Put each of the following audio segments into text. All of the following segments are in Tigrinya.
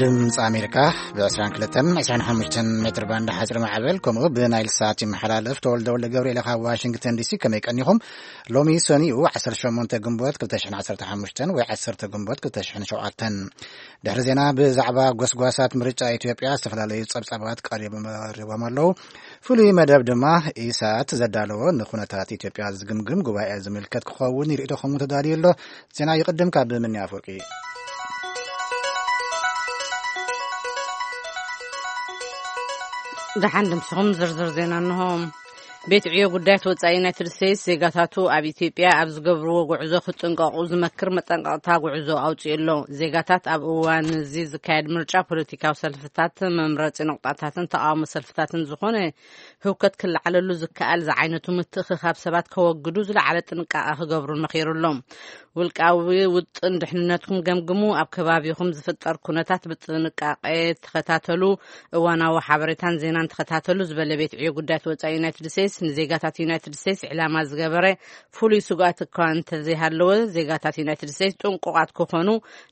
ድምፂ ኣሜሪካ ብ22 25 ሜትር ባንድ ሓፂር ማዕበል፣ ከምኡ ብናይል ሳት ይመሓላለፍ። ተወልደ ወልደ ገብርኤል ካብ ዋሽንግተን ዲሲ። ከመይ ቀኒኹም? ሎሚ ሰኒኡ 18 ግንቦት 2015 ወይ 10 ግንቦት 2007። ድሕሪ ዜና፣ ብዛዕባ ጎስጓሳት ምርጫ ኢትዮጵያ ዝተፈላለዩ ጸብጻባት ቀሪቦም ኣለዉ። ፍሉይ መደብ ድማ ኢሳት ዘዳለዎ ንኩነታት ኢትዮጵያ ዝግምግም ጉባኤ ዝምልከት ክኸውን ይርእቶ ከምኡ ተዳልዩ ኣሎ። ዜና ይቕድም ካብ ምኒ ኣፈወርቂ። ደሓን ድምስኹም፣ ዝርዝር ዜና እንሆ። ቤት ዕዮ ጉዳያት ወጻኢ ዩናይትድ ስቴትስ ዜጋታቱ ኣብ ኢትዮጵያ ኣብ ዝገብርዎ ጉዕዞ ክጥንቀቑ ዝመክር መጠንቀቕታ ጉዕዞ ኣውጺኡ ኣሎ። ዜጋታት ኣብ እዋን እዚ ዝካየድ ምርጫ ፖለቲካዊ ሰልፍታት፣ መምረጺ ነቑጣታትን ተቓውሞ ሰልፍታትን ዝኾነ ህውከት ክለዓለሉ ዝከኣል ዝዓይነቱ ምትእኽኻብ ሰባት ከወግዱ ዝለዓለ ጥንቃቐ ክገብሩን መኺሩ ኣሎ። ውልቃዊ ውጥን ድሕንነትኩም ገምግሙ፣ ኣብ ከባቢኹም ዝፍጠር ኩነታት ብጥንቃቄ ተኸታተሉ፣ እዋናዊ ሓበሬታን ዜናን ተኸታተሉ ዝበለ ቤት ዕዮ ጉዳያት ወጻኢ ዩናይትድ ስቴትስ፣ ንዜጋታት ዩናይትድ ስቴትስ ዕላማ ዝገበረ ፍሉይ ስግኣት እኳ እንተዘይሃለወ፣ ዜጋታት ዩናይትድ ስቴትስ ጥንቁቓት ክኾኑ፣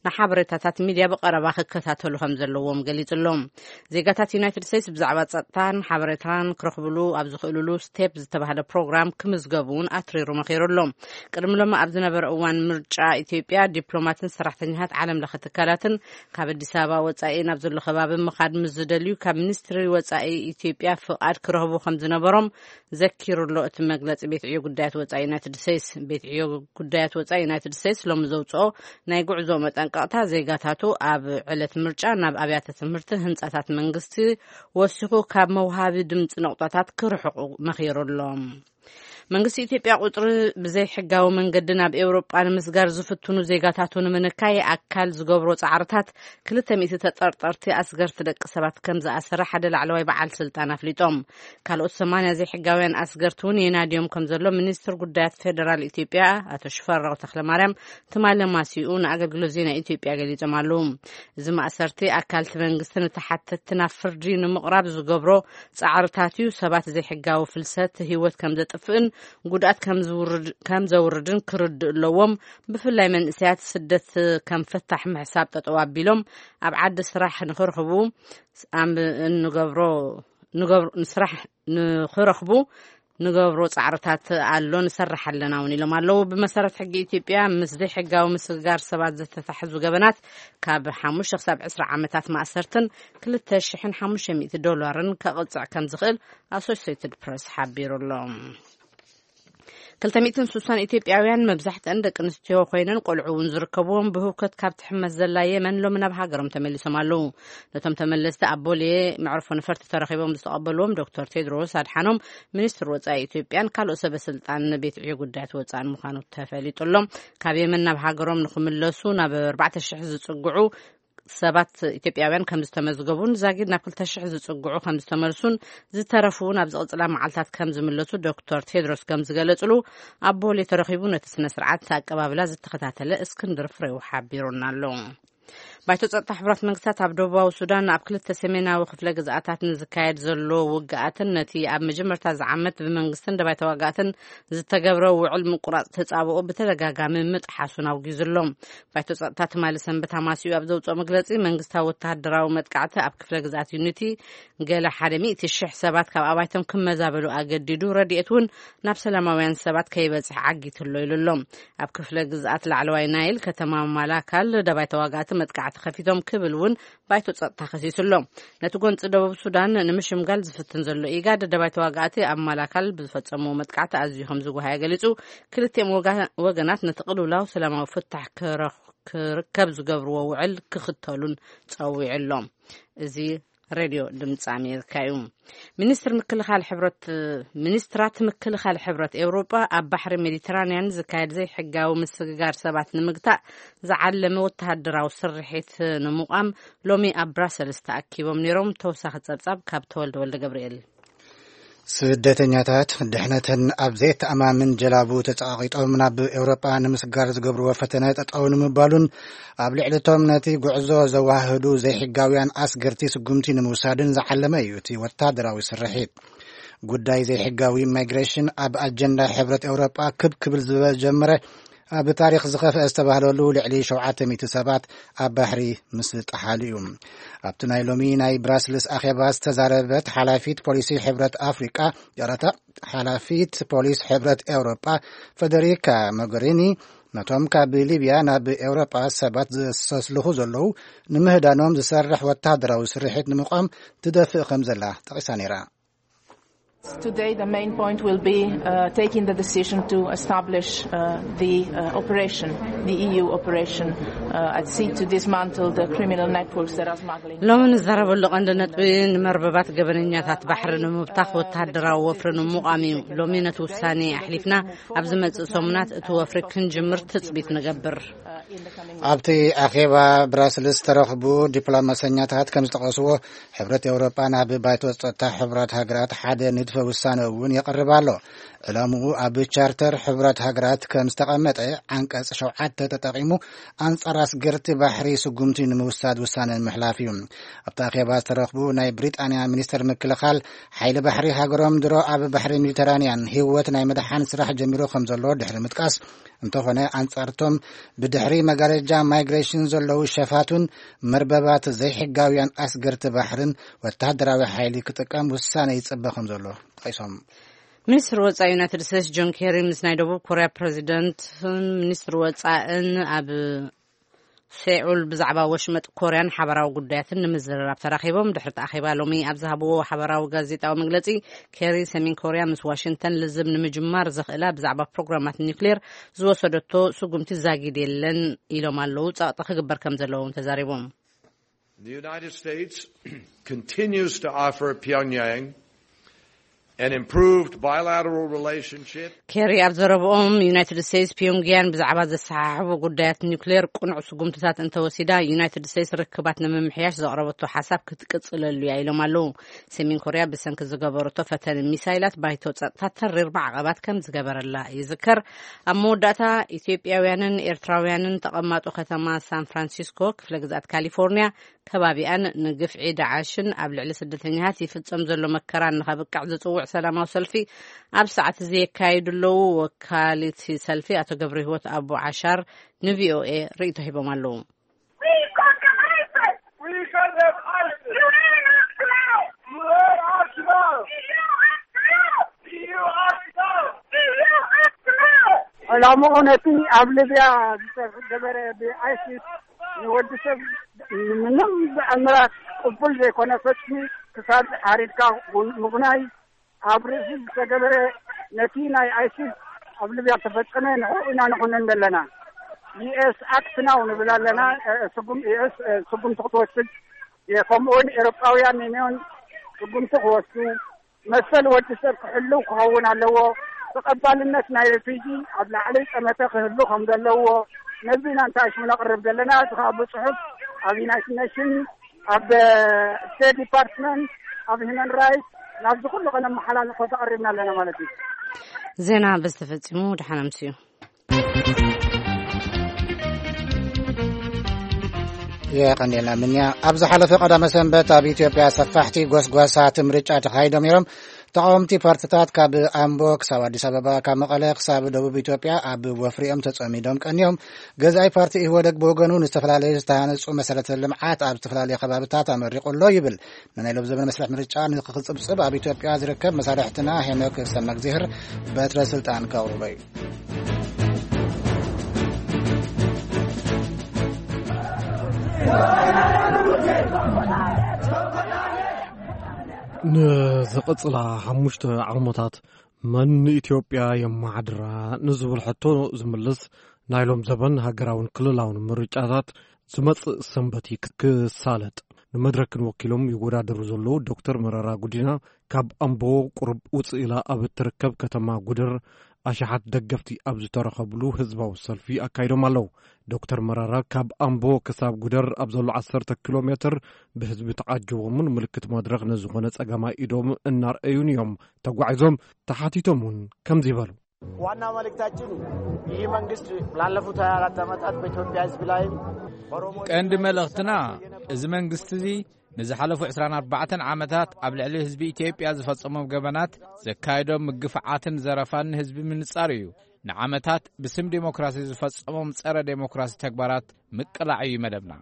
ንሓበሬታታት ሚድያ ብቐረባ ክከታተሉ ከም ዘለዎም ገሊጹ ኣሎ። ዜጋታት ዩናይትድ ስቴትስ ብዛዕባ ጸጥታን ሓበሬታን ክረኽብሉ ኣብ ዝኽእሉሉ ስቴፕ ዝተባህለ ፕሮግራም ክምዝገቡ እውን ኣትሪሩ መኺሩ ኣሎ። ቅድሚ ሎሚ ኣብ ዝነበረ እዋን ምርጫ ኢትዮጵያ፣ ዲፕሎማትን ሰራሕተኛታት ዓለም ለኸ ትካላትን ካብ ኣዲስ ኣበባ ወጻኢ ናብ ዘሎ ከባቢ ምኻድ ምስ ዝደልዩ፣ ካብ ሚኒስትሪ ወጻኢ ኢትዮጵያ ፍቓድ ክረኽቡ ከም ዝነበሮም ዘኪሩ ኣሎ እቲ መግለጺ ቤት ዕዮ ጉዳያት ወጻኢ ዩናይትድ ስቴትስ። ቤት ዕዮ ጉዳያት ወጻኢ ዩናይትድ ስቴትስ ሎሚ ዘውጽኦ ናይ ጉዕዞ መጠንቀቕታ፣ ዜጋታቱ ኣብ ዕለት ምርጫ ናብ ኣብያተ ትምህርቲ፣ ህንጻታት መንግስቲ ወሲኹ ካብ መውሃቢ ድምጺ ነቑጣታት ክርሕቑ መኺሩ ኣሎ። መንግስቲ ኢትዮጵያ ቁጽሪ ብዘይሕጋዊ መንገዲ ናብ ኤውሮጳ ንምስጋር ዝፍትኑ ዜጋታቱ ንምንካይ ኣካል ዝገብሮ ጻዕርታት 200 ተጠርጠርቲ ኣስገርቲ ደቂ ሰባት ከም ዝኣሰረ ሓደ ላዕለዋይ በዓል ስልጣን ኣፍሊጦም። ካልኦት 80 ዘይሕጋውያን ኣስገርቲ እውን የናድዮም ከም ዘሎ ሚኒስትር ጉዳያት ፌደራል ኢትዮጵያ ኣቶ ሽፈራው ተክለማርያም ትማሊ ማሲኡ ንኣገልግሎት ዜና ኢትዮጵያ ገሊጾም ኣለዉ። እዚ ማእሰርቲ ኣካልቲ መንግስቲ ንተሓተትቲ ናብ ፍርዲ ንምቕራብ ዝገብሮ ጻዕርታት እዩ። ሰባት ዘይሕጋዊ ፍልሰት ህይወት ከም ዘጥፍእን ጉድኣት ከም ዝውርድ-፣ ከም ዘውርድን ክርድእ ኣለዎም። ብፍላይ መንእሰያት ስደት ከም ፈታሕ ምሕሳብ ጠጠው ኣቢሎም ኣብ ዓዲ ስራሕ ንኽረኽቡ ኣም-፣ እንገብሮ፣ ንገብሮ፣ ንስራሕ ንኽረኽቡ ንገብሮ ጻዕርታት ኣሎ፣ ንሰርሕ ኣለና እውን ኢሎም ኣለዉ። ብመሰረት ሕጊ ኢትዮጵያ፣ ምስ ዘይሕጋዊ ምስግጋር ሰባት ዝተታሕዙ ገበናት ካብ ሓሙሽተ ክሳብ ዕስራ ዓመታት ማእሰርትን ክልተ ሽሕን ሓሙሽተ ሚእቲ ዶላርን ከቕጽዕ ከም ዝኽእል ኣሶሲየትድ ፕረስ ሓቢሩ ኣሎ። ክልተ ሚእትን ስሳን ኢትዮጵያውያን፣ መብዛሕትአን ደቂ ኣንስትዮ ኮይነን ቆልዑ እውን ዝርከብዎም፣ ብህውከት ካብ ትሕመስ ዘላ የመን ሎሚ ናብ ሃገሮም ተመሊሶም ኣለዉ። ነቶም ተመለስቲ ኣብ ቦሌ መዕርፎ ነፈርቲ ተረኺቦም ዝተቐበልዎም ዶክተር ቴድሮስ ኣድሓኖም፣ ሚኒስትር ወጻኢ ኢትዮጵያን ካልኦት ሰበ ስልጣን ቤት ዕዮ ጉዳያት ወጻእን ምዃኑ ተፈሊጡ ኣሎ። ካብ የመን ናብ ሃገሮም ንኽምለሱ ናብ ኣርባዕተ ሽሕ ዝጽግዑ ሰባት ኢትዮጵያውያን ከም ዝተመዝገቡን ዛጊድ ናብ ክልተ ሽሕ ዝጽግዑ ከም ዝተመልሱን ዝተረፉ እውን ኣብ ዝቕጽላ መዓልታት ከም ዝምለሱ ዶክተር ቴድሮስ ከም ዝገለጽሉ ኣብ ቦሌ ተረኺቡ ነቲ ስነ ስርዓት ኣቀባብላ ዝተኸታተለ እስክንድር ፍሬው ሓቢሩና ኣሎ። ባይቶ ጸጥታ ሕቡራት መንግስታት ኣብ ደቡባዊ ሱዳን ኣብ ክልተ ሰሜናዊ ክፍለ ግዝኣታት ንዝካየድ ዘሎ ውግኣትን ነቲ ኣብ መጀመርታ ዝዓመት ብመንግስትን ደባይ ተዋጋእትን ዝተገብረ ውዕል ምቁራጽ ተጻብኦ ብተደጋጋሚ ምጥሓሱን ኣውጊዙ ኣሎ። ባይቶ ጸጥታ ትማሊ ሰንበት ኣማሲኡ ኣብ ዘውጽኦ መግለጺ፣ መንግስታዊ ወተሃደራዊ መጥቃዕቲ ኣብ ክፍለ ግዝኣት ዩኒቲ ገለ ሓደ ሚእቲ ሽሕ ሰባት ካብ ኣባይቶም ክመዛበሉ ኣገዲዱ፣ ረድኤት እውን ናብ ሰላማውያን ሰባት ከይበጽሕ ዓጊቱ ኣሎ ኢሉ ኣሎ። ኣብ ክፍለ ግዝኣት ላዕለዋይ ናይል ከተማ ማላካል ደባይ ተዋጋእቲ መጥቃዕቲ ከፊቶም ክብል እውን ባይቶ ጸጥታ ከሲሱ ኣሎ። ነቲ ጎንጺ ደቡብ ሱዳን ንምሽምጋል ዝፍትን ዘሎ ኢጋድ፣ ደባይ ተዋጋእቲ ኣብ ማላካል ብዝፈጸምዎ መጥቃዕቲ ኣዝዩ ከም ዝጓሃየ ገሊጹ፣ ክልቲኦም ወጋ-፣ ወገናት ነቲ ቅልውላው ሰላማዊ ፍታሕ ክረኽ-፣ ክርከብ ዝገብርዎ ውዕል ክኽተሉን ጸዊዑ ኣሎ። እዚ ሬድዮ ድምፂ ኣሜሪካ እዩ። ሚኒስትር ምክልኻል ሕብረት፣ ሚኒስትራት ምክልኻል ሕብረት ኤውሮጳ ኣብ ባሕሪ ሜዲተራንያን ዝካየድ ዘይሕጋዊ ምስግጋር ሰባት ንምግታእ ዝዓለመ ወተሃደራዊ ስርሒት ንምቋም ሎሚ ኣብ ብራሰልስ ተኣኪቦም ነይሮም። ተወሳኺ ጸብጻብ ካብ ተወልደ ወልደ ገብርኤል። ስደተኛታት ድሕነተን ኣብ ዘይተኣማምን ጀላቡ ተጸቓቒጦም ናብ ኤውሮጳ ንምስጋር ዝገብርዎ ፈተነ ጠጠው ንምባሉን ኣብ ልዕሊ እቶም ነቲ ጉዕዞ ዘዋህዱ ዘይሕጋውያን ኣስገርቲ ስጉምቲ ንምውሳድን ዝዓለመ እዩ እቲ ወታደራዊ ስርሒት። ጉዳይ ዘይሕጋዊ ማይግሬሽን ኣብ ኣጀንዳ ሕብረት ኤውሮጳ ክብ ክብል ዝጀመረ ኣብ ታሪኽ ዝኸፍአ ዝተባህለሉ ልዕሊ ሸውዓተ ሚእቲ ሰባት ኣብ ባሕሪ ምስ ጠሓሉ እዩ። ኣብቲ ናይ ሎሚ ናይ ብራስልስ ኣኼባ ዝተዛረበት ሓላፊት ፖሊሲ ሕብረት ኣፍሪቃ፣ ይቕረታ፣ ሓላፊት ፖሊስ ሕብረት ኤውሮጳ ፈደሪካ ሞገሪኒ፣ ነቶም ካብ ሊብያ ናብ ኤውሮጳ ሰባት ዘሰስልኹ ዘለዉ ንምህዳኖም ዝሰርሕ ወታደራዊ ስርሒት ንምቋም ትደፍእ ከም ዘላ ጠቒሳ ነይራ። Today, the main point will be uh, taking the decision to establish uh, the uh, operation, the E U operation, uh, at sea to dismantle the criminal networks that are smuggling. ሎሚ ንዛረበሉ ቀንዲ ነጥቢ፣ ንመርበባት ገበነኛታት ባሕሪ ንምብታኽ ወተሃደራዊ ወፍሪ ንምቋም እዩ። ሎሚ ነቲ ውሳኔ ኣሕሊፍና፣ ኣብ ዝመጽእ ሰሙናት እቲ ወፍሪ ክንጅምር ትጽቢት ንገብር። ኣብቲ ኣኼባ ብራስልስ ዝተረኽቡ ዲፕሎማሰኛታት ከም ዝጠቐስዎ፣ ሕብረት ኤውሮጳ ናብ ባይቶ ጸጥታ ሕቡራት ሃገራት ሓደ ንድፈ ውሳነ እውን የቕርብ ኣሎ። ዕላምኡ ኣብ ቻርተር ሕቡራት ሃገራት ከም ዝተቐመጠ ዓንቀጽ ሸውዓተ ተጠቒሙ ኣንጻር ኣስገርቲ ባሕሪ ስጉምቲ ንምውሳድ ውሳነ ንምሕላፍ እዩ። ኣብቲ ኣኼባ ዝተረኽቡ ናይ ብሪጣንያ ሚኒስተር ምክልኻል፣ ሓይሊ ባሕሪ ሃገሮም ድሮ ኣብ ባሕሪ ሜዲተራንያን ህይወት ናይ ምድሓን ስራሕ ጀሚሩ ከም ዘሎ ድሕሪ ምጥቃስ፣ እንተኾነ ኣንጻርቶም ብድሕሪ መጋረጃ ማይግሬሽን ዘለዉ ሸፋቱን መርበባት ዘይሕጋውያን ኣስገርቲ ባሕርን ወተሃደራዊ ሓይሊ ክጥቀም ውሳነ ይጽበ ከም ዘሎ ጠቒሶም። ሚኒስትር ወጻኢ ዩናይትድ ስቴትስ ጆን ኬሪ ምስ ናይ ደቡብ ኮርያ ፕሬዚደንትን ሚኒስትር ወጻእን ኣብ ሴኡል ብዛዕባ ወሽመጥ ኮርያን ሓበራዊ ጉዳያትን ንምዝርራብ ተራኺቦም። ድሕሪ እቲ ኣኼባ ሎሚ ኣብ ዝሃብዎ ሓበራዊ ጋዜጣዊ መግለጺ፣ ኬሪ ሰሜን ኮርያ ምስ ዋሽንግተን ልዝብ ንምጅማር ዘኽእላ ብዛዕባ ፕሮግራማት ኒውክሌር ዝወሰደቶ ስጉምቲ ዛጊድ የለን ኢሎም ኣለዉ። ጸቕጢ ክግበር ከም ዘለዎም ተዛሪቦም። The United States continues to offer Pyongyang an improved bilateral relationship. ኬሪ ኣብ ዘረብኦም፣ ዩናይትድ ስቴትስ ፒዮንግያን ብዛዕባ ዘሰሓሕቡ ጉዳያት ኒውክሌር ቅኑዕ ስጉምትታት እንተወሲዳ፣ ዩናይትድ ስቴትስ ርክባት ንምምሕያሽ ዘቕረበቶ ሓሳብ ክትቅጽለሉ እያ ኢሎም ኣለዉ። ሰሜን ኮርያ ብሰንኪ ዝገበረቶ ፈተነ ሚሳይላት ባይቶ ጸጥታ ተሪር ማዕቐባት ከም ዝገበረላ ይዝከር። ኣብ መወዳእታ፣ ኢትዮጵያውያንን ኤርትራውያንን ተቐማጦ ከተማ ሳን ፍራንሲስኮ፣ ክፍለ ግዝኣት ካሊፎርኒያ፣ ከባቢኣን ንግፍዒ ዳዓሽን ኣብ ልዕሊ ስደተኛታት ይፍጸም ዘሎ መከራን ንኸብቅዕ ዝጽውዕ ሰላማዊ ሰልፊ ኣብ ሰዓት እዚ የካይዱ ኣለዉ። ወካሊት ሰልፊ ኣቶ ገብረ ህይወት ኣቡ ዓሻር ንቪኦኤ ርእይቶ ሂቦም ኣለዉ። ዕላምኡ ነቲ ኣብ ሊብያ ዝተገበረ ብኣይሲስ ንወዲ ሰብ ምንም ብኣምራት ቅቡል ዘይኮነ ፈጽሚ ክሳብ ሓሪድካ ምጉናይ ኣብ ርእሲ ዝተገበረ ነቲ ናይ ኣይሲስ ኣብ ሊብያ ዝተፈጸመ ንዕኡ ኢና ንኹንን ዘለና። ዩኤስ ኣክት ናው ንብል ኣለና። ስጉም ዩኤስ ስጉምቲ ክትወስድ ከምኡውን ኤሮጳውያን ዩኒዮን ስጉምቲ ክወስዱ መሰል ወዲ ሰብ ክሕልው ክኸውን ኣለዎ። ተቐባልነት ናይ ሪፊጂ ኣብ ላዕሊ ጠመተ ክህሉ ከም ዘለዎ ነዚ ኢና እንታይ ሽሙ ነቕርብ ዘለና። እዚ ከዓ ብፅሑፍ ኣብ ዩናይትድ ኔሽን ኣብ ስቴት ዲፓርትመንት ኣብ ሂመን ራይት ናብዚ ኩሉ ከነመሓላልፎ ተቐሪብና ኣለና ማለት እዩ። ዜና በዚ ተፈጺሙ። ደሓን ኣምስዩ። የቐንየልና ምንያ። ኣብ ዝሓለፈ ቀዳመ ሰንበት ኣብ ኢትዮጵያ ሰፋሕቲ ጎስጓሳት ምርጫ ተኻይዶም ነይሮም። ተቃወምቲ ፓርትታት ካብ ኣምቦ ክሳብ ኣዲስ ኣበባ፣ ካብ መቐለ ክሳብ ደቡብ ኢትዮጵያ ኣብ ወፍሪኦም ተጸሚዶም ቀንዮም። ገዛኢ ፓርቲ ኢህወደግ ብወገኑ ንዝተፈላለዩ ዝተሃነጹ መሰረተ ልምዓት ኣብ ዝተፈላለዩ ከባብታት ኣመሪቑ ኣሎ ይብል። ንናይ ሎብ ዘበን መስርሕ ምርጫ ንክጽብጽብ ኣብ ኢትዮጵያ ዝርከብ መሳርሕትና ሄኖክ ሰመግዚህር በትረ ስልጣን ከቕርቦ እዩ። ንዝቕጽላ ሓሙሽተ ዓመታት መን ንኢትዮጵያ የመሓድራ ንዝብል ሕቶ ዝምልስ ናይ ሎም ዘበን ሃገራውን ክልላውን ምርጫታት ዝመጽእ ሰንበት እዩ ክሳለጥ። ንመድረክን ወኪሎም ይወዳደሩ ዘለዉ ዶክተር መረራ ጉዲና ካብ ኣምቦ ቁሩብ ውጽእ ኢላ ኣብ እትርከብ ከተማ ጉደር ኣሽሓት ደገፍቲ ኣብ ዝተረኸብሉ ህዝባዊ ሰልፊ ኣካይዶም ኣለዉ። ዶክተር መራራ ካብ ኣምቦ ክሳብ ጉደር ኣብ ዘሎ ዓሰርተ ኪሎ ሜትር ብህዝቢ ተዓጅቦምን ምልክት መድረኽ ንዝኾነ ጸጋማይ ኢዶም እናርኣዩን እዮም ተጓዒዞም። ተሓቲቶም እውን ከምዚ በሉ። ዋና መልእክታችን ይህ መንግስት ላለፉት ሃያ አራት ዓመታት በኢትዮጵያ ህዝብ ላይም በኦሮሞ ቀንዲ መልእኽትና፣ እዚ መንግስቲ እዚ ንዝሓለፉ ዕስራን ኣርባዕተን ዓመታት ኣብ ልዕሊ ህዝቢ ኢትዮጵያ ዝፈጸሞም ገበናት፣ ዘካየዶም ምግፍዓትን ዘረፋን ንህዝቢ ምንጻር እዩ። ንዓመታት ብስም ዴሞክራሲ ዝፈጸሞም ጸረ ዴሞክራሲ ተግባራት ምቅላዕ እዩ መደብና።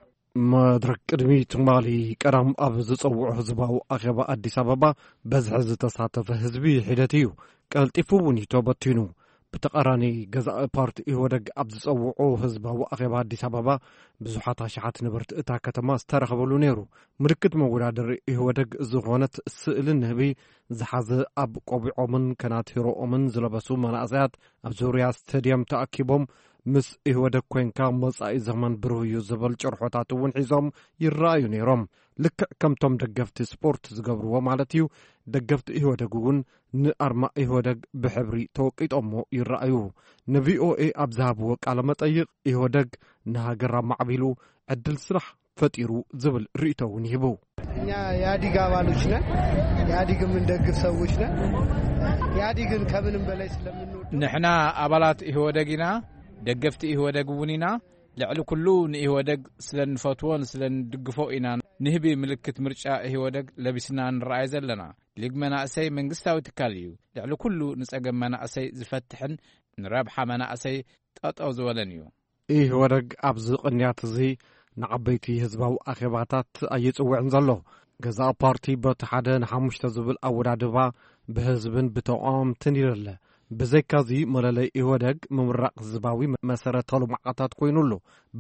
መድረክ ቅድሚ ትማሊ ቀዳም ኣብ ዝጸውዖ ህዝባዊ ኣኼባ ኣዲስ ኣበባ፣ በዝሒ ዝተሳተፈ ህዝቢ ሒደት እዩ። ቀልጢፉ እውን እዩ ተበቲኑ። ብተቓራኒ፣ ገዛኢ ፓርቲ ኢህወደግ ኣብ ዝጸውዖ ህዝባዊ ኣኼባ ኣዲስ ኣበባ፣ ብዙሓት ኣሽሓት ነበርቲ እታ ከተማ ዝተረኸበሉ ነይሩ። ምልክት መወዳደሪ ኢህወደግ ዝኾነት ስእሊ ንህቢ ዝሓዘ፣ ኣብ ቆቢዖምን ከናቲሮኦምን ዝለበሱ መናእሰያት ኣብ ዙርያ ስቴድየም ተኣኪቦም፣ ምስ ኢህወደግ ኮንካ መጻኢ ዘመን ብሩህ እዩ ዝብል ጭርሖታት እውን ሒዞም ይረኣዩ ነይሮም። ልክዕ ከምቶም ደገፍቲ ስፖርት ዝገብርዎ ማለት እዩ፣ ደገፍቲ ኢህወደግ እውን ንኣርማ ኢህወደግ ብሕብሪ ተወቂጦሞ ይረኣዩ። ንቪኦኤ ኣብ ዝሃብዎ ቃለ መጠይቕ፣ ኢህወደግ ንሃገር ኣማዕቢሉ፣ ዕድል ስራሕ ፈጢሩ ዝብል ርእይቶ እውን ይህቡ። እኛ የኢህአዴግ አባሎች ነን። ኢህአዴግ የምንደግፍ ሰዎች ነን። ኢህአዴግን ከምንም በላይ ስለምንወድ ንሕና ኣባላት ኢህወደግ ኢና፣ ደገፍቲ ኢህወደግ እውን ኢና። ልዕሊ ኩሉ ንኢህወደግ ስለ እንፈትዎን ስለ እንድግፎ ኢና ንህቢ ምልክት ምርጫ ኢህወደግ ለቢስና ንረኣይ ዘለና። ሊግ መናእሰይ መንግስታዊ ትካል እዩ። ልዕሊ ኩሉ ንጸገም መናእሰይ ዝፈትሕን ንረብሓ መናእሰይ ጠጠው ዝበለን እዩ። ኢህወደግ ኣብዚ ቅንያት እዚ ንዓበይቲ ህዝባዊ ኣኼባታት ኣይጽውዕን ዘሎ። ገዛኢ ፓርቲ በቲ ሓደ ንሓሙሽተ ዝብል ኣወዳድባ ብህዝብን ብተቃወምትን ይደለ። ብዘይካዚ፣ መለለይ ኢህወደግ ምምራቕ ህዝባዊ መሰረተ ልምዓታት ኮይኑሉ፣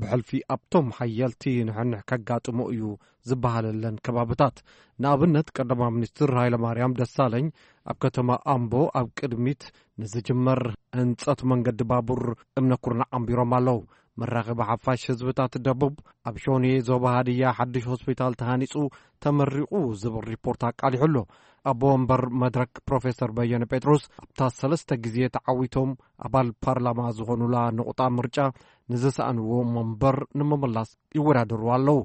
ብሕልፊ ኣብቶም ሓየልቲ ንሕንሕ ከጋጥሞ እዩ ዝበሃለለን ከባብታት። ንኣብነት፣ ቀዳማይ ሚኒስትር ሃይለማርያም ደሳለኝ ኣብ ከተማ ኣምቦ ኣብ ቅድሚት ንዝጅመር ህንጸት መንገዲ ባቡር እምነ ኩርናዕ ኣንቢሮም ኣለዉ። መራኸቢ ሓፋሽ ህዝብታት ደቡብ፣ ኣብ ሾኔ ዞባ ሃድያ ሓድሽ ሆስፒታል ተሃኒጹ ተመሪቑ ዝብል ሪፖርት ኣቃሊሑ ኣሎ። ኣቦ ወንበር መድረክ ፕሮፌሰር በየነ ጴጥሮስ፣ ኣብታ ሰለስተ ግዜ ተዓዊቶም ኣባል ፓርላማ ዝኾኑላ ንቑጣ ምርጫ ንዝሰኣንዎ መንበር ንምምላስ ይወዳደሩ ኣለዉ።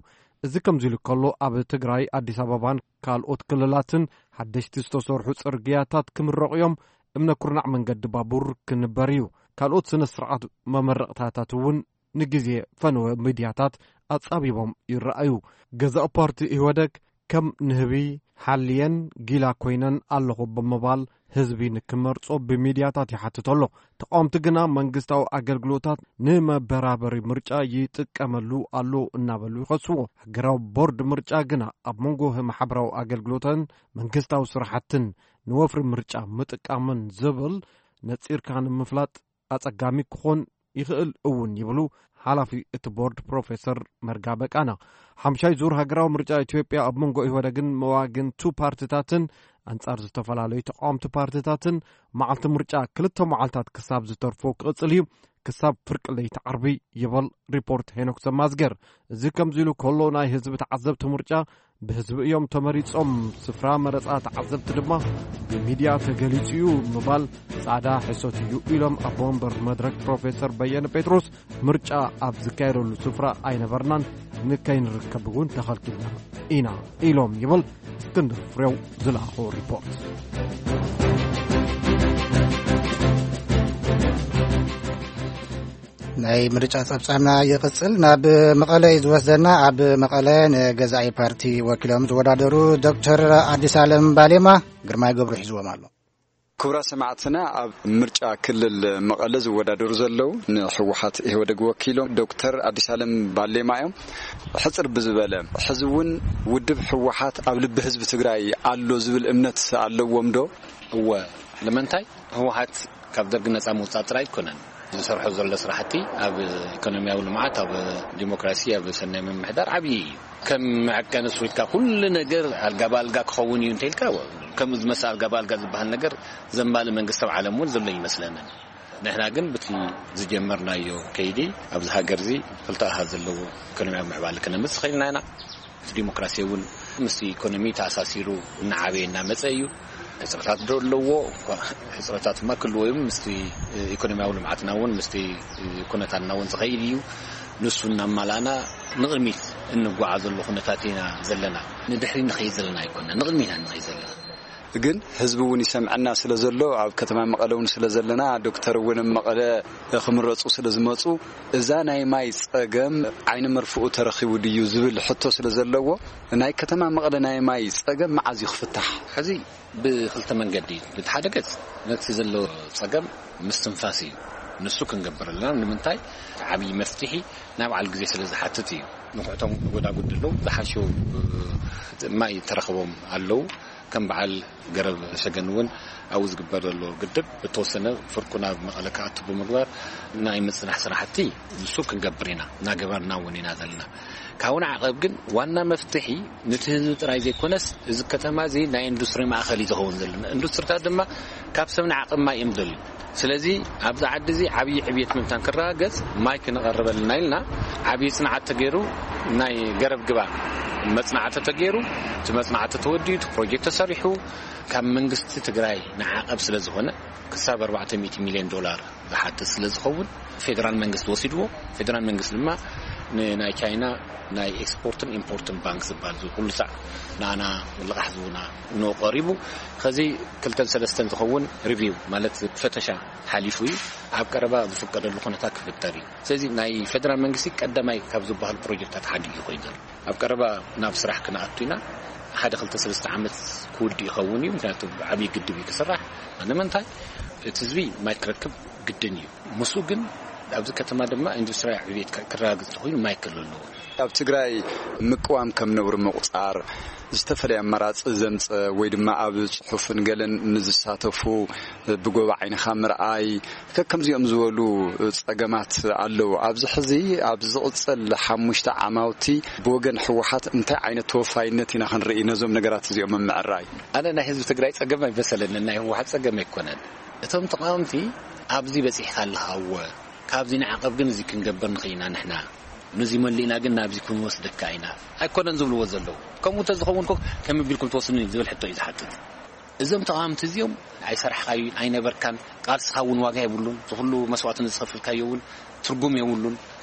እዚ ከምዚ ኢሉ ከሎ፣ ኣብ ትግራይ፣ ኣዲስ ኣበባን ካልኦት ክልላትን ሓደሽቲ ዝተሰርሑ ጽርግያታት ክምረቑ እዮም። እምነ ኩርናዕ መንገዲ ባቡር ክንበር እዩ። ካልኦት ስነ ስርዓት መመረቕታታት እውን ንግዜ ፈነወ ሚድያታት ኣጻቢቦም ይረኣዩ። ገዛኢ ፓርቲ ኢህወደግ ከም ንህቢ ሓልየን ጊላ ኮይነን ኣለኹ ብምባል ህዝቢ ንክመርጾ ብሚድያታት ይሓትት ኣሎ። ተቃወምቲ ግና መንግስታዊ ኣገልግሎታት ንመበራበሪ ምርጫ ይጥቀመሉ ኣሎ እናበሉ ይኸስዎ። ሃገራዊ ቦርድ ምርጫ ግና ኣብ መንጎ ማሕበራዊ ኣገልግሎትን መንግስታዊ ስራሕትን ንወፍሪ ምርጫ ምጥቃምን ዝብል ነጺርካ ንምፍላጥ ኣጸጋሚ ክኾን ይኽእል እውን ይብሉ ሓላፊ እቲ ቦርድ ፕሮፌሰር መርጋ በቃና። ሓምሻይ ዙር ሃገራዊ ምርጫ ኢትዮጵያ ኣብ መንጎ ኢህወደግን መዋግንቱ ፓርትታትን ኣንጻር ዝተፈላለዩ ተቃወምቲ ፓርትታትን መዓልቲ ምርጫ ክልተ መዓልታት ክሳብ ዝተርፎ ክቕጽል እዩ፣ ክሳብ ፍርቂ ለይቲ ዓርቢ ይበል ሪፖርት ሄኖክ ሰማዝገር። እዚ ከምዚ ኢሉ ከሎ፣ ናይ ህዝቢ ተዓዘብቲ ምርጫ ብህዝቢ እዮም ተመሪጾም፣ ስፍራ መረጻ ተዓዘብቲ ድማ ብሚድያ ተገሊጹ እዩ ምባል ጻዕዳ ሕሶት እዩ ኢሎም ኣቦ ወንበር መድረክ ፕሮፌሰር በየነ ጴጥሮስ። ምርጫ ኣብ ዝካየደሉ ስፍራ ኣይነበርናን፣ ንከይንርከብ እውን ተኸልኪልና ኢና ኢሎም ይብል እስክንድር ፍሬው ዝለኣኾ ሪፖርት። ናይ ምርጫ ጸብጻብና ይቕጽል። ናብ መቐለ እዩ ዝወስደና። ኣብ መቐለ ንገዛኢ ፓርቲ ወኪሎም ዝወዳደሩ ዶክተር ኣዲስ ኣለም ባሌማ ግርማይ ገብሩ ሒዝዎም ኣሎ። ክቡራት ሰማዕትና፣ ኣብ ምርጫ ክልል መቐለ ዝወዳደሩ ዘለዉ ንህወሓት ኢህወደግ ወኪሎም ዶክተር ኣዲስ ኣለም ባሌማ እዮም። ሕጽር ብዝበለ፣ ሕዚ እውን ውድብ ህወሓት ኣብ ልቢ ህዝቢ ትግራይ ኣሎ ዝብል እምነት ኣለዎም ዶ? እወ። ንምንታይ? ህወሓት ካብ ደርጊ ነጻ ምውጻእ ጥራይ ኣይኮነን። ዝሰርሖ ዘሎ ስራሕቲ ኣብ ኢኮኖሚያዊ ልምዓት፣ ኣብ ዲሞክራሲ፣ ኣብ ሰናይ ምምሕዳር ዓብዪ እዩ። ከም መዐቀኒ ስዊትካ ኩሉ ነገር ኣልጋ ብኣልጋ ክኸውን እዩ እንተኢልካ፣ ከምኡ ዝመስል ኣልጋ ብኣልጋ ዝበሃል ነገር ዘማሊ መንግስቲ ኣብ ዓለም እውን ዘሎ ይመስለንን። ንሕና ግን ብቲ ዝጀመርናዮ ከይዲ ኣብዚ ሃገር እዚ ክልተ ኣሃዝ ዘለዎ ኢኮኖሚያዊ ምዕባለ ክነምጽእ ኽኢልና ኢና። እቲ ዲሞክራሲ እውን ምስቲ ኢኮኖሚ ተኣሳሲሩ እናዓበየ እናመፀ እዩ። ሕፅረታት ዶ ኣለዎ? ሕፅረታት ድማ ክህልዎ እዮም። ምስቲ ኢኮኖሚያዊ ልምዓትና እውን ምስቲ ኩነታትና እውን ዝኸይድ እዩ። ንሱ እናማላእና ንቕድሚት እንጓዓዘሉ ኩነታት ኢና ዘለና። ንድሕሪ ንኸይድ ዘለና ኣይኮና፣ ንቕድሚት ኢና ንኸይድ ዘለና። ግን ህዝቢ እውን ይሰምዐና ስለ ዘሎ፣ ኣብ ከተማ መቐለ እውን ስለ ዘለና፣ ዶክተር እውን ኣብ መቐለ ክምረፁ ስለ ዝመፁ፣ እዛ ናይ ማይ ፀገም ዓይኒ መርፍኡ ተረኺቡ ድዩ ዝብል ሕቶ ስለ ዘለዎ፣ ናይ ከተማ መቐለ ናይ ማይ ፀገም መዓዝ እዩ ክፍታሕ? ሕዚ ብክልተ መንገዲ እዩ። ብቲ ሓደ ገፅ ነቲ ዘሎ ፀገም ምስትንፋስ እዩ። ንሱ ክንገብር ኣለና። ንምንታይ? ዓብዪ መፍትሒ ናይ በዓል ግዜ ስለ ዝሓትት እዩ። ንኩዕቶም ጎዳጉዲ ኣለዉ፣ ዝሓሹ ማይ ተረኽቦም ኣለዉ። ከም በዓል ገረብ ሰገን እውን ኣብኡ ዝግበር ዘሎ ግድብ ብተወሰነ ፍርቁ ናብ መቐለ ክኣቱ ብምግባር ናይ ምፅናሕ ስራሕቲ ንሱ ክንገብር ኢና፣ እናገበርና እውን ኢና ዘለና። ካብኡ ንዓቐብ ግን ዋና መፍትሒ ነቲ ህዝቢ ጥራይ ዘይኮነስ፣ እዚ ከተማ እዚ ናይ ኢንዱስትሪ ማእኸል እዩ ዝኸውን ዘለና። ኢንዱስትሪታት ድማ ካብ ሰብ ንዓቐብ ማይ እዮም ዝደልዩ። ስለዚ ኣብዚ ዓዲ እዚ ዓብዪ ዕብየት ምእንታን ክረጋገጽ ማይ ክነቐርበልና ኢልና ዓብዪ ጽንዓት ተገይሩ፣ ናይ ገረብ ግባ መጽናዕቲ ተገይሩ፣ እቲ መጽናዕቲ ተወዲኡ፣ እቲ ፕሮጀክት ተሰሪሑ፣ ካብ መንግስቲ ትግራይ ንዓቐብ ስለ ዝኾነ፣ ክሳብ ኣርባዕተ ሚእቲ ሚልዮን ዶላር ዝሓትት ስለ ዝኸውን፣ ፌደራል መንግስቲ ወሲድዎ። ፌደራል መንግስቲ ድማ ንናይ ቻይና ናይ ኤክስፖርትን ኢምፖርትን ባንክ ዝበሃል፣ እዚ ኩሉ ሳዕ ንኣና ልቓሕ ዝቡና ንኡ ቀሪቡ። ከዚ ክልተን ሰለስተን ዝኸውን ሪቪው፣ ማለት ፈተሻ ሓሊፉ እዩ። ኣብ ቀረባ ዝፍቀደሉ ኩነታት ክፍጠር እዩ። ስለዚ ናይ ፌደራል መንግስቲ ቀዳማይ ካብ ዝበሃል ፕሮጀክታት ሓደ እዩ ኮይኑ ዘሎ። ኣብ ቀረባ ናብ ስራሕ ክንኣቱ ኢና። ሓደ ክልተ ሰለስተ ዓመት ክውድእ ይኸውን እዩ፣ ምክንያቱ ዓብዪ ግድብ እዩ ክስራሕ። ንምንታይ? እቲ ህዝቢ ማይ ክረክብ ግድን እዩ። ምስኡ ግን ኣብዚ ከተማ ድማ ኢንዱስትሪያዊ ዕብየት ክረጋግፅ እንተኾይኑ ማይ ክህሉ ኣለዎ። ኣብ ትግራይ ምቅዋም ከም ነውሪ ምቑፃር፣ ዝተፈላለየ ኣማራፂ ዘምፀ ወይ ድማ ኣብ ፅሑፍን ገለን ንዝሳተፉ ብጎባ ዓይንኻ ምርኣይ፣ ከከምዚኦም ዝበሉ ፀገማት ኣለዉ። ኣብዚ ሕዚ ኣብ ዝቕፅል ሓሙሽተ ዓማውቲ ብወገን ህወሓት እንታይ ዓይነት ተወፋይነት ኢና ክንርኢ ነዞም ነገራት እዚኦም ኣብ ምዕራይ? ኣነ ናይ ህዝቢ ትግራይ ፀገም ኣይመሰለንን፣ ናይ ህወሓት ፀገም ኣይኮነን። እቶም ተቃወምቲ ኣብዚ በፂሕካ ኣለኻ፣ እወ፣ ካብዚ ንዓቐብ ግን እዚ ክንገብር ንኽእል ኢና ንሕና፣ ነዚ መሊእና ግን ናብዚ ክንወስደካ ኢና ኣይኮነን ዝብልዎ ዘለዉ። ከምኡ እንተዝኸውን እኮ ከመይ ቢልኩም ትወስዱኒ ዝብል ሕቶ እዩ ዝሓትት። እዞም ተቃወምቲ እዚኦም ኣይሰራሕካዩን ኣይነበርካን፣ ቃልስኻ እውን ዋጋ የብሉን፣ ዝኹሉ መስዋእትነት ዝኸፍልካዮ እውን ትርጉም የብሉን።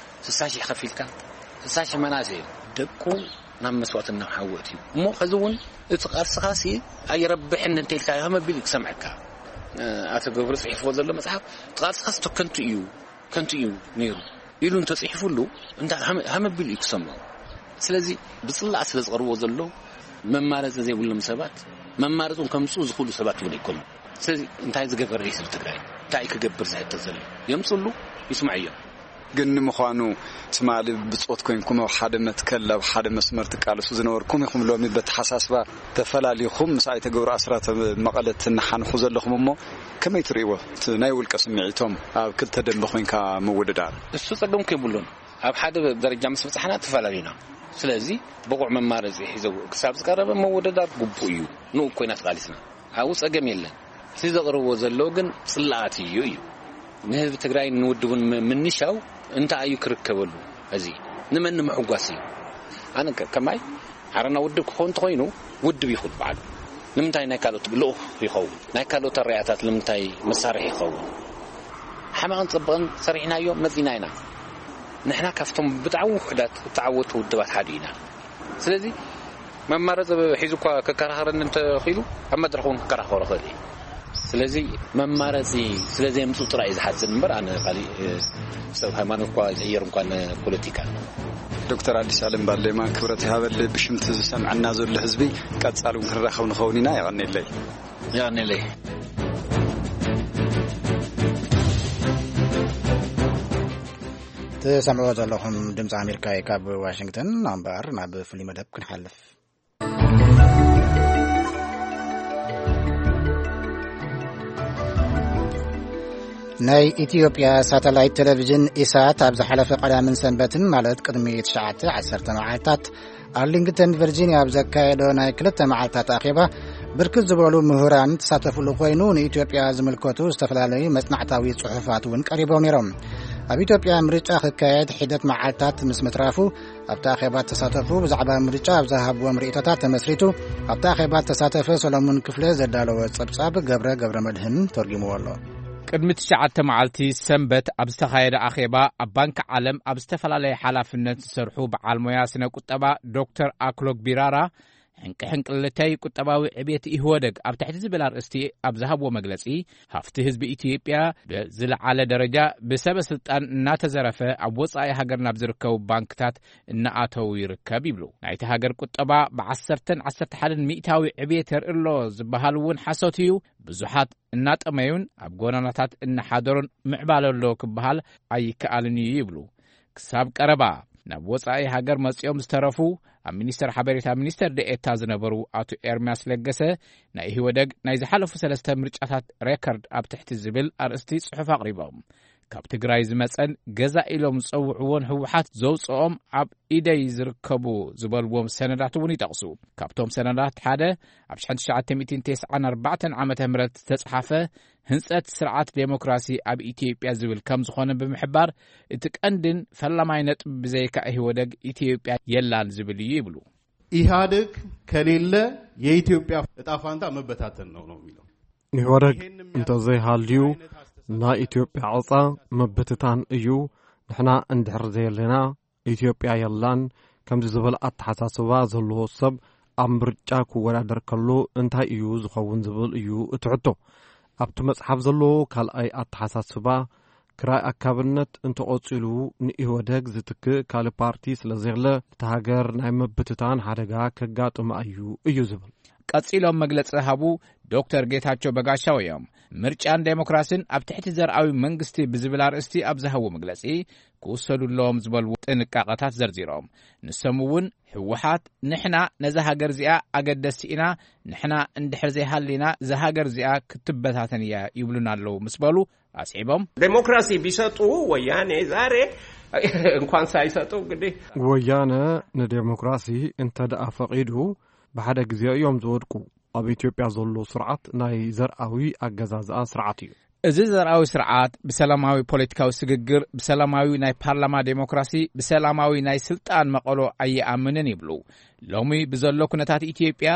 ስሳ ሺሕ ከፊልካ፣ ስሳ ሺሕ መናእሰይ እዮም ደቁ ናብ መስዋእትን ናብ ሓዊ ኣእትዩ። እሞ ከዚ እውን እቲ ቃልስኻሲ ኣይረብሕን እንተኢልካ ከመይ ቢሉ ክሰምዐካ? ኣቶ ገብሩ ጽሒፍዎ ዘሎ መጽሓፍ፣ እቲ ቃልስኻስ ከንቱ እዩ፣ ከንቱ እዩ ነይሩ ኢሉ እንተጽሒፉሉ፣ እንታይ ሃመ-፣ ሃመ ቢሉ እዩ ክሰምዖ? ስለዚ ብጽላእ ስለ ዝቐርብዎ ዘሎ መማረጺ ዘይብሎም ሰባት፣ መማረጺ እውን ከምጽኡ ዝኽእሉ ሰባት እውን ኣይኮኑን። ስለዚ እንታይ ዝገበረ እዩ ህዝቢ ትግራይ? እንታይ እዩ ክገብር ዝሕተት ዘሎ? የምጽሉ፣ ይስምዐዮ። ግን ንምዃኑ ትማሊ ብጾት ኮይንኩም ኣብ ሓደ መትከል ኣብ ሓደ መስመር ትቃለሱ ዝነበርኩም ኢኹም። ሎሚ በተሓሳስባ ተፈላሊኹም ምስ ኣይተ ገብሩ ኣስራት ኣብ መቐለ ትነሓንሑ ዘለኹም እሞ ከመይ ትርእይዎ? እቲ ናይ ውልቀ ስምዒቶም ኣብ ክልተ ደንበ ኮይንካ ምውድዳር። እሱ ጸገም ከይብሉን ኣብ ሓደ ደረጃ ምስ በጻሕና ተፈላለዩና። ስለዚ ብቑዕ መማረጺ ሒዘው ክሳብ ዝቀረበ ምውድዳር ግቡእ እዩ። ንኡ ኮይና ተቃሊስና። ኣብኡ ጸገም የለን። እቲ ዘቕርብዎ ዘለዉ ግን ጽላኣት እዩ እዩ። ንህዝቢ ትግራይ ንውድቡን ም-፣ ምንሻው እንታይ እዩ ክርከበሉ? እዚ ንመን ንምሕጓስ እዩ? ኣነ ከ-፣ ከማይ ዓረና ውድብ ክኸውን እንተኾይኑ ውድብ ይኹን ባዕሉ። ንምንታይ ናይ ካልኦት ልኡኽ ይኸውን? ናይ ካልኦት ኣረኣእያታት ንምንታይ መሳርሒ ይኸውን? ሓማቕን ጽብቕን ሰሪሕናዮ መጺና ኢና። ንሕና ካብቶም ብጣዕሚ ውሑዳት እተዓወቱ ውድባት ሓደ ኢና። ስለዚ መማረፂ ሒዙ እኳ ክከራኸረኒ እንተኽኢሉ ኣብ መድረኽ እውን ክከራኸሮ ክእል እዩ። ስለዚ መማረፂ ስለ ዘየምፅኡ ጥራይ እዩ ዝሓዝን እምበር ኣነ ካሊእ፣ እ፣ ሰብ ሃይማኖት እኳ ይቕየር እንኳን ፖለቲካ። ዶክተር ኣዲስ ኣለም ባሌማ ክብረት ይሃበለይ ብሽምቲ ዝሰምዐና ዘሎ ህዝቢ ቀጻሊ እውን ክንራኸብ ንኸውን ኢና። የቐንየለይ። የቐንየለይ። ትሰምዕዎ ዘለኹም ድምፂ ኣሜሪካ እዩ ካብ ዋሽንግተን። እምበኣር ናብ ፍሉይ መደብ ክንሓልፍ። ናይ ኢትዮጵያ ሳተላይት ቴሌቪዥን ኢሳት ኣብ ዝሓለፈ ቀዳምን ሰንበትን፣ ማለት ቅድሚ ትሽዓተ ዓሰርተ መዓልታት፣ ኣርሊንግተን ቨርጂኒያ ኣብ ዘካየዶ ናይ ክልተ መዓልታት ኣኼባ ብርክት ዝበሉ ምሁራን ተሳተፍሉ ኮይኑ፣ ንኢትዮጵያ ዝምልከቱ ዝተፈላለዩ መጽናዕታዊ ጽሑፋት እውን ቀሪቦም ነይሮም። ኣብ ኢትዮጵያ ምርጫ ክካየድ ሒደት መዓልታት ምስ ምትራፉ፣ ኣብቲ ኣኼባ ተሳተፉ ብዛዕባ ምርጫ ኣብ ዝሃብዎም ርእይቶታት ተመስሪቱ፣ ኣብቲ ኣኼባ ተሳተፈ ሰሎሞን ክፍለ ዘዳለወ ጸብጻብ ገብረ ገብረ መድህን ተርጉምዎ ኣሎ። ቅድሚ ትሽዓተ መዓልቲ ሰንበት ኣብ ዝተኻየደ ኣኼባ፣ ኣብ ባንኪ ዓለም ኣብ ዝተፈላለየ ሓላፍነት ዝሰርሑ በዓል ሞያ ስነ ቁጠባ ዶክተር ኣክሎግ ቢራራ፣ ሕንቂ ሕንቅልተይ ቁጠባዊ ዕብየት ኢህወደግ ኣብ ትሕቲ ዝብል ኣርእስቲ ኣብ ዝሃብዎ መግለጺ፣ ሃፍቲ ህዝቢ ኢትዮጵያ ብዝለዓለ ደረጃ ብሰበ ስልጣን እናተዘረፈ ኣብ ወጻኢ ሃገር ናብ ዝርከቡ ባንክታት እናኣተዉ ይርከብ ይብሉ። ናይቲ ሃገር ቁጠባ ብዓሰርተን ዓሰርተ ሓደን ሚእታዊ ዕብየት የርኢ ኣሎ ዝበሃል እውን ሓሶት እዩ። ብዙሓት እናጠመዩን ኣብ ጎዳናታት እናሓደሩን ምዕባለ ኣሎ ክበሃል ኣይከኣልን እዩ ይብሉ። ክሳብ ቀረባ ናብ ወጻኢ ሃገር መጺኦም ዝተረፉ፣ ኣብ ሚኒስተር ሓበሬታ ሚኒስተር ደኤታ ዝነበሩ ኣቶ ኤርምያስ ለገሰ፣ ናይ ኢህወደግ ናይ ዝሓለፉ ሰለስተ ምርጫታት ሬከርድ ኣብ ትሕቲ ዝብል ኣርእስቲ ጽሑፍ ኣቕሪቦም። ካብ ትግራይ ዝመጸን ገዛ ኢሎም ዝጸውዕዎን ህወሓት ዘውጽኦም ኣብ ኢደይ ዝርከቡ ዝበልዎም ሰነዳት እውን ይጠቕሱ። ካብቶም ሰነዳት ሓደ፣ ኣብ ሽሕን ትሽዓተ ሚእትን ተስዓን ኣርባዕተን ዓመተ ምህረት ዝተጽሓፈ ህንጸት ስርዓት ዴሞክራሲ ኣብ ኢትዮጵያ ዝብል ከም ዝኾነ ብምሕባር፣ እቲ ቀንድን ፈላማይ ነጥቢ ብዘይካ ኢህወደግ ኢትዮጵያ የላን ዝብል እዩ ይብሉ። ኢህአደግ ከሌለ የኢትዮጵያ እጣ ፋንታ መበታተን ነው ነው የሚለው። ኢህወደግ እንተዘይሃልዩ ናይ ኢትዮጵያ ዕጻ ምብትታን እዩ። ንሕና እንድሕር ዘየለና ኢትዮጵያ የላን። ከምዚ ዝበለ ኣተሓሳስባ ዘለዎ ሰብ ኣብ ምርጫ ክወዳደር ከሎ እንታይ እዩ ዝኸውን ዝብል እዩ እቲ ሕቶ። ኣብቲ መጽሓፍ ዘሎ ካልኣይ ኣተሓሳስባ፣ ክራይ ኣካብነት እንተቐጺሉ ንኢህወደግ ዝትክእ ካልእ ፓርቲ ስለ ዘየለ፣ እቲ ሃገር ናይ ምብትታን ሓደጋ ከጋጥማ እዩ እዩ ዝብል። ቀጺሎም መግለጺ ዝሃቡ ዶክተር ጌታቸው በጋሻው እዮም። ምርጫን ዴሞክራሲን ኣብ ትሕቲ ዘርኣዊ መንግስቲ ብዝብል ኣርእስቲ ኣብ ዝሃቡ መግለጺ፣ ክውሰዱ ኣለዎም ዝበልዎ ጥንቃቐታት ዘርዚሮም። ንሶም እውን ህወሓት፣ "ንሕና ነዛ ሃገር እዚኣ ኣገደስቲ ኢና፣ ንሕና እንድሕር ዘይሃሊና እዛ ሃገር እዚኣ ክትበታተን እያ" ይብሉና ኣለዉ ምስ በሉ ኣስዒቦም። ዴሞክራሲ ቢሰጡ ወያኔ ዛሬ እንኳን ሳይሰጡ እንግዲህ ወያነ ንዴሞክራሲ እንተ ደኣ ፈቒዱ፣ ብሓደ ግዜ እዮም ዝወድቁ። ኣብ ኢትዮጵያ ዘሎ ስርዓት ናይ ዘርኣዊ ኣገዛዝኣ ስርዓት እዩ። እዚ ዘርኣዊ ስርዓት ብሰላማዊ ፖለቲካዊ ስግግር፣ ብሰላማዊ ናይ ፓርላማ ዴሞክራሲ፣ ብሰላማዊ ናይ ስልጣን መቐሎ ኣይኣምንን ይብሉ። ሎሚ ብዘሎ ኩነታት ኢትዮጵያ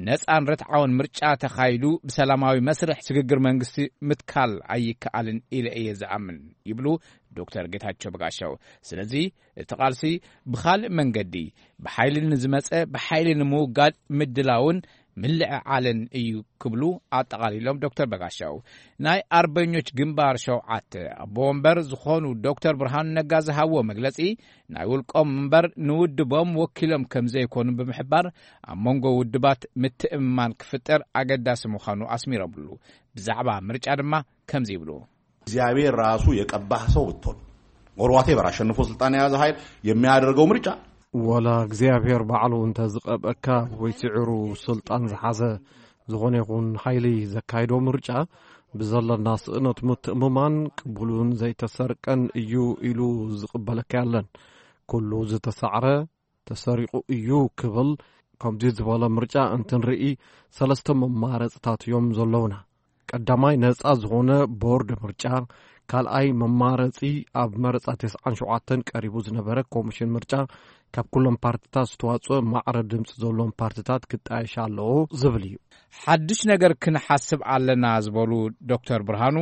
ነጻን ርትዓውን ምርጫ ተኻይዱ ብሰላማዊ መስርሕ ስግግር መንግስቲ ምትካል ኣይከኣልን ኢለ እየ ዝኣምን ይብሉ ዶክተር ጌታቸው በጋሻው። ስለዚ እቲ ቃልሲ ብኻልእ መንገዲ ብሓይሊ ንዝመጸ ብሓይሊ ንምውጋድ ምድላውን ምልዕዓልን እዩ ክብሉ ኣጠቓሊሎም ዶክተር በጋሻው። ናይ ኣርበኞች ግንባር ሸውዓተ ኣቦ ወንበር ዝኾኑ ዶክተር ብርሃኑ ነጋ ዝሃብዎ መግለጺ፣ ናይ ውልቆም እምበር ንውድቦም ወኪሎም ከም ዘይኮኑ ብምሕባር፣ ኣብ መንጎ ውድባት ምትእምማን ክፍጠር ኣገዳሲ ምዃኑ ኣስሚሮምሉ። ብዛዕባ ምርጫ ድማ ከምዚ ይብሉ። እግዚአብሔር ራሱ የቀባህ ሰው ብትሆን፣ ወርዋቴ በራ አሸንፎ ስልጣን የያዘ ኃይል የሚያደርገው ምርጫ፣ ወላ እግዚኣብሔር ባዕሉ እንተ ዝቐብአካ ወይ ስዒሩ ስልጣን ዝሓዘ ዝኾነ ይኹን ሓይሊ ዘካይዶ ምርጫ፣ ብዘለና ስእነት ምትእምማን ቅቡልን ዘይተሰርቀን እዩ ኢሉ ዝቕበለካ የለን። ኩሉ ዝተሳዕረ ተሰሪቑ እዩ ክብል፣ ከምዚ ዝበለ ምርጫ እንትንርኢ፣ ሰለስተ መማረፅታት እዮም ዘለውና። ቀዳማይ፣ ነፃ ዝኾነ ቦርድ ምርጫ። ካልኣይ፣ መማረፂ ኣብ መረፃ ተስዓን ሸውዓተን ቀሪቡ ዝነበረ ኮሚሽን ምርጫ፣ ካብ ኩሎም ፓርቲታት ዝተዋፅኦ ማዕረ ድምፂ ዘለዎም ፓርቲታት ክጣየሽ ኣለዎ ዝብል እዩ። ሓድሽ ነገር ክንሓስብ ኣለና ዝበሉ ዶክተር ብርሃኑ፣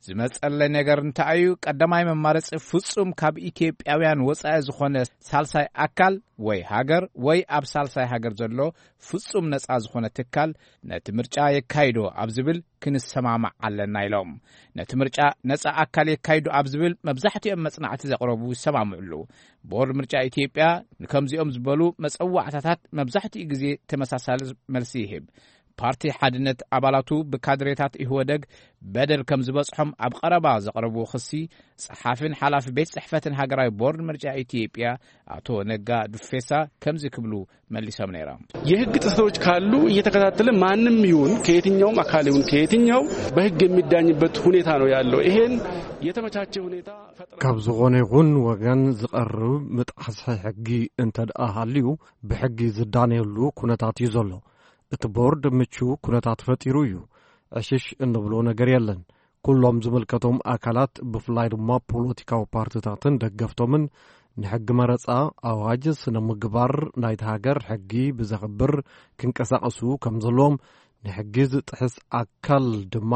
ዝመጸለይ ነገር እንታይ እዩ? ቀዳማይ መማረጺ ፍጹም ካብ ኢትዮጵያውያን ወጻኢ ዝኾነ ሳልሳይ ኣካል ወይ ሃገር ወይ ኣብ ሳልሳይ ሃገር ዘሎ ፍጹም ነጻ ዝኾነ ትካል ነቲ ምርጫ የካይዶ ኣብ ዝብል ክንሰማማዕ ኣለና ኢሎም። ነቲ ምርጫ ነጻ ኣካል የካይዶ ኣብ ዝብል መብዛሕትኦም መጽናዕቲ ዘቕረቡ ይሰማምዑሉ። ቦርድ ምርጫ ኢትዮጵያ ንከምዚኦም ዝበሉ መጸዋዕታታት መብዛሕትኡ ግዜ ተመሳሳሊ መልሲ ይህብ። ፓርቲ ሓድነት ኣባላቱ ብካድሬታት ኢህወደግ በደል ከም ዝበጽሖም ኣብ ቀረባ ዘቕረብዎ ክሲ፣ ጸሓፊን ሓላፊ ቤት ጽሕፈትን ሃገራዊ ቦርድ ምርጫ ኢትዮጵያ ኣቶ ነጋ ዱፌሳ ከምዚ ክብሉ መሊሶም ነይሮም። የህግ ጥሰቶች ካሉ እየተከታተለ ማንም ይሁን ከየትኛውም አካል ይሁን ከየትኛው በህግ የሚዳኝበት ሁኔታ ነው ያለው። ይሄን የተመቻቸ ሁኔታ ፈጥረን ካብ ዝኾነ ይኹን ወገን ዝቐርብ ምጥሓስ ሕጊ እንተ ደኣ ሃልዩ ብሕጊ ዝዳነየሉ ኩነታት እዩ ዘሎ። እቲ ቦርድ ምቹው ኩነታት ፈጢሩ እዩ። ዕሽሽ እንብሎ ነገር የለን። ኩሎም ዝምልከቶም ኣካላት፣ ብፍላይ ድማ ፖለቲካዊ ፓርቲታትን ደገፍቶምን፣ ንሕጊ መረጻ፣ ኣዋጅ፣ ስነ ምግባር ናይቲ ሃገር ሕጊ ብዘኽብር ክንቀሳቐሱ ከም ዘለዎም፣ ንሕጊ ዝጥሕስ ኣካል ድማ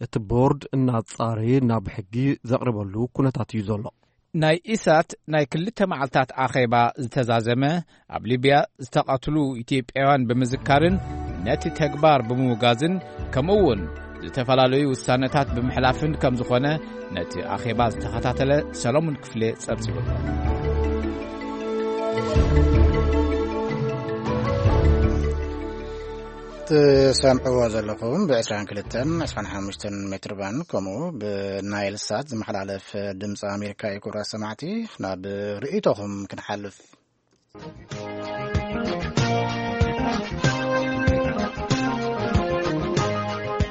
እቲ ቦርድ እናጻረየ ናብ ሕጊ ዘቕርበሉ ኩነታት እዩ ዘሎ። ናይ ኢሳት ናይ ክልተ መዓልታት ኣኼባ ዝተዛዘመ፣ ኣብ ሊብያ ዝተቐትሉ ኢትዮጵያውያን ብምዝካርን ነቲ ተግባር ብምውጋዝን፣ ከምኡ እውን ዝተፈላለዩ ውሳነታት ብምሕላፍን ከም ዝኾነ፣ ነቲ ኣኼባ ዝተኸታተለ ሰሎሞን ክፍሌ ጸብጺቡ። ትሰምዕዎ ዘለኹም ብ22፣ 25 ሜትር ባንድ፣ ከምኡ ብናይል ሳት ዝመሓላለፍ ድምፂ ኣሜሪካ እዩ። ክቡራት ሰማዕቲ፣ ናብ ርእይቶኹም ክንሓልፍ።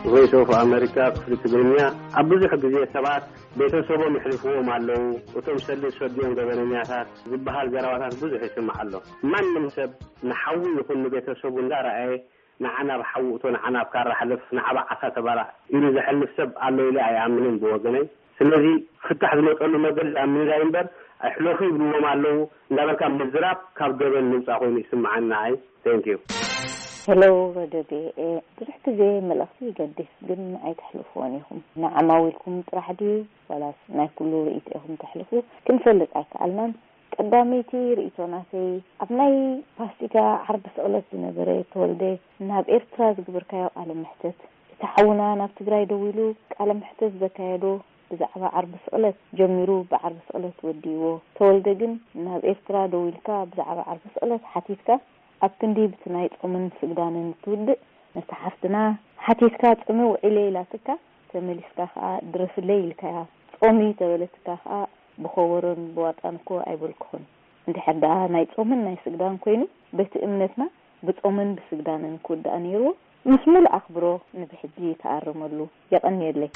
ቮይስ ኦፍ ኣሜሪካ ክፍሊ ትግርኛ። ኣብ ብዙሕ ግዜ ሰባት ቤተሰቦም ይሕልፍዎም ኣለዉ፣ እቶም ሰልዲ ዝሰድዮም ገበነኛታት ዝበሃል ዘረባታት ብዙሕ ይስማዕ ኣሎ። ማንም ሰብ ንሓዉ ይኹን ንቤተሰቡ እንዳረኣየ፣ "ንዓ ናብ ሓዉ እቶ፣ ንዓ ናብ ካራ ሕለፍ፣ ንዓ ብዓሳ ተባላዕ" ኢሉ ዘሕልፍ ሰብ ኣሎ ኢለ ኣይኣምንን ብወገነይ። ስለዚ ፍታሕ ዝመፀሉ መገዲ ኣብ ምንዳይ እምበር፣ "ኣይሕለፉ ይብልዎም ኣለዉ" እንዳበልካ ምዝራብ ካብ ገበን ምውፃእ ኮይኑ ይስምዓኒ ንዓይ። Thank you። ሄሎ፣ ረድዮ ቪኦኤ። ብዙሕ ግዜ መልእኽቲ ይገድፍ፣ ግን ኣይተሕልፍዎን ኢኹም። ንዓማዊልኩም ጥራሕ ድዩ ዋላስ ናይ ኩሉ ርእይቶ ኢኹም ተሕልፉ? ክንፈልጥ ኣይከኣልናን። ቀዳመይቲ ርእይቶ ናተይ፣ ኣብ ናይ ፋሲጋ ዓርቢ ስቕለት ዝነበረ ተወልደ ናብ ኤርትራ ዝግበርካዮ ቃለ መሕተት፣ እቲ ሓውና ናብ ትግራይ ደዊሉ ቃለ መሕተት ዘካየዶ ብዛዕባ ዓርቢ ስቕለት ጀሚሩ ብዓርቢ ስቕለት ወዲእዎ። ተወልደ ግን ናብ ኤርትራ ደዊልካ ብዛዕባ ዓርቢ ስቕለት ሓቲትካ፣ ኣብ ክንዲ ብቲ ናይ ጾምን ስግዳንን ትውድእ፣ ነታ ሓፍትና ሓቲትካ ጽምእ ውዒለ ኢላትካ፣ ተመሊስካ ከኣ ድረፍለይ ኢልካያ። ጾም እዩ ተበለትካ ከኣ ብኸበሮን ብዋጣን እኮ ኣይበልኩኹን። እንድሕር ደኣ ናይ ጾምን ናይ ስግዳን ኮይኑ፣ በቲ እምነትና ብጾምን ብስግዳንን ክውዳእ ነይርዎ። ምስ ሙሉእ ኣኽብሮ ንብሕጂ ተኣረመሉ። የቐንየለይ።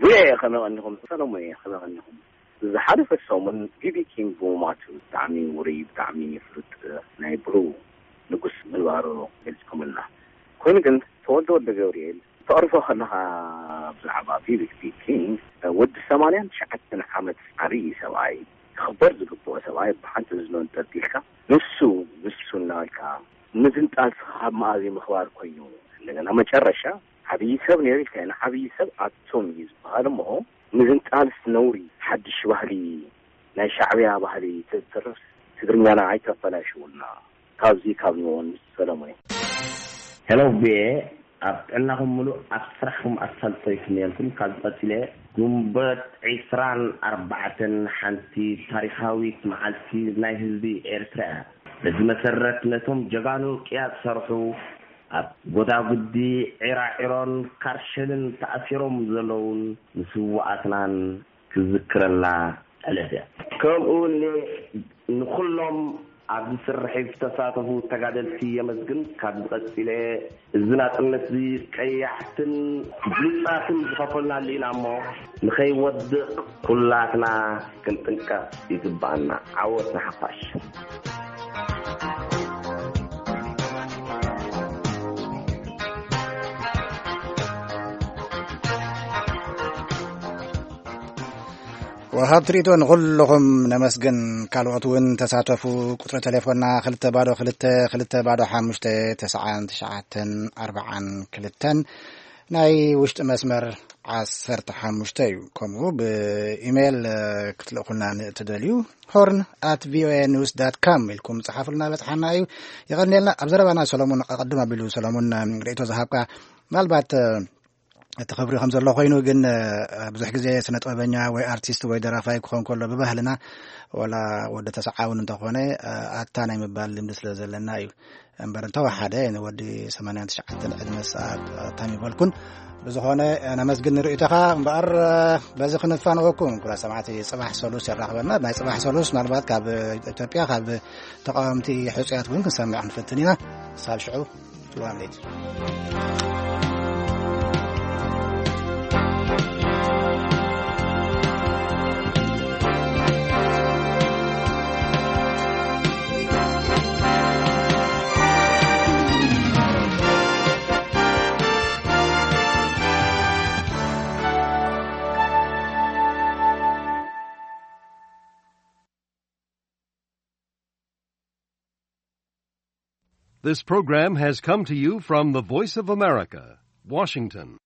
ዙርያ እየ ከመይ ቀኒኹም? ሰለሞን እየ ከመይ ቀኒኹም? ዝሓለፈ ሰሙን ቢቢ ኪንግ ብምሟቱ ብጣዕሚ ውሩይ፣ ብጣዕሚ ፍሉጥ ናይ ብሩ ንጉስ ምንባሩ ገሊጽኩምልና። ኮይኑ ግን ተወልደ ወልደ ገብርኤል ተቕርፎ ከለኻ ብዛዕባ ቢቢ ኪንግ ወዲ ሰማንያን ትሽዓተን ዓመት ዓብዪ ሰብኣይ ክኽበር ዝግብኦ ሰብኣይ ብሓንቲ እዝኑ እንጠልጢልካ ንሱ ንሱ እናበልካ ምዝንጣል ካብ መኣዝ ምኽባር ኮይኑ እንደገና መጨረሻ ዓብዪ ሰብ ነይሩ ኢልካ ንዓብዪ ሰብ ኣቶም እዩ ዝበሃል እሞ ምዝንጣልስ ነውሪ ሓድሽ ባህሊ ናይ ሻዕብያ ባህሊ ተዝተርፍ ትግርኛና ኣይተበላሽውልና። ካብዚ ካብ ንወን ሰለሞን። ሄሎ ቪኤ ኣብ ጥዕናኹም ሙሉእ ኣብ ስራሕኩም ኣሳልጦ ይፍንየልኩም ካብ ቀፂለ። ጉንበት ዒስራን ኣርባዕተን ሓንቲ ታሪኻዊት መዓልቲ ናይ ህዝቢ ኤርትራ እያ። በዚ መሰረት ነቶም ጀጋኑ ቅያ ዝሰርሑ ኣብ ጎዳጉዲ ዒራዒሮን ካርሸልን ተኣሲሮም ዘለውን ንስውኣትናን ክዝክረላ ዕለት እያ። ከምኡ እውን ንኩሎም ኣብዚ ስርሒት ዝተሳተፉ ተጋደልቲ የመስግን። ካብ ዝቐፂለ እዚ ናፅነት እዚ ቀያሕትን ብሉፃትን ዝኸፈልና ኣሊና እሞ ንኸይወድቕ ኩላትና ክንጥንቀቕ ይግባኣና። ዓወት ንሓፋሽ። ወሃብ ትርኢቶ ንኹልኹም ነመስግን። ካልኦት እውን ተሳተፉ። ቁፅሪ ቴሌፎንና ክልተ ባዶ ክልተ ክልተ ባዶ ሓሙሽተ ተስዓን ትሽዓተን ኣርባዓን ክልተን፣ ናይ ውሽጢ መስመር ዓሰርተ ሓሙሽተ እዩ። ከምኡ ብኢሜይል ክትልእኹልና ንእትደልዩ ሆርን ኣት ቪኦኤ ኒውስ ዳት ካም ኢልኩም ጸሓፉልና፣ በጽሓና እዩ። የቐንየልና። ኣብ ዘረባና ሰሎሙን ኣቐድም ኣቢሉ ሰሎሙን ርእይቶ ዝሃብካ ምናልባት እቲ ክብሪ ከም ዘሎ ኮይኑ ግን ብዙሕ ግዜ ስነ ጥበበኛ ወይ ኣርቲስት ወይ ደራፋይ ክኾን ከሎ ብባህልና ወላ ወዲ ተሰዓውን እንተኾነ ኣታ ናይ ምባል ልምዲ ስለ ዘለና እዩ። እምበር እንተወሓደ ንወዲ ሰማንያን ትሽዓተን ዕድመ ሰዓት ኣታሚ በልኩን። ብዝኾነ ነመስግን ንርእይቶኻ እምበኣር በዚ ክንፋነወኩም። ኩራ ሰማዕቲ ጽባሕ ሰሉስ የራኽበና። ናይ ጽባሕ ሰሉስ ምናልባት ካብ ኢትዮጵያ ካብ ተቃወምቲ ሕጹያት እውን ክንሰምዕ ክንፍትን ኢና። ሳብ ሽዑ ጽልዋ ለይቲ። This program has come to you from the Voice of America, Washington.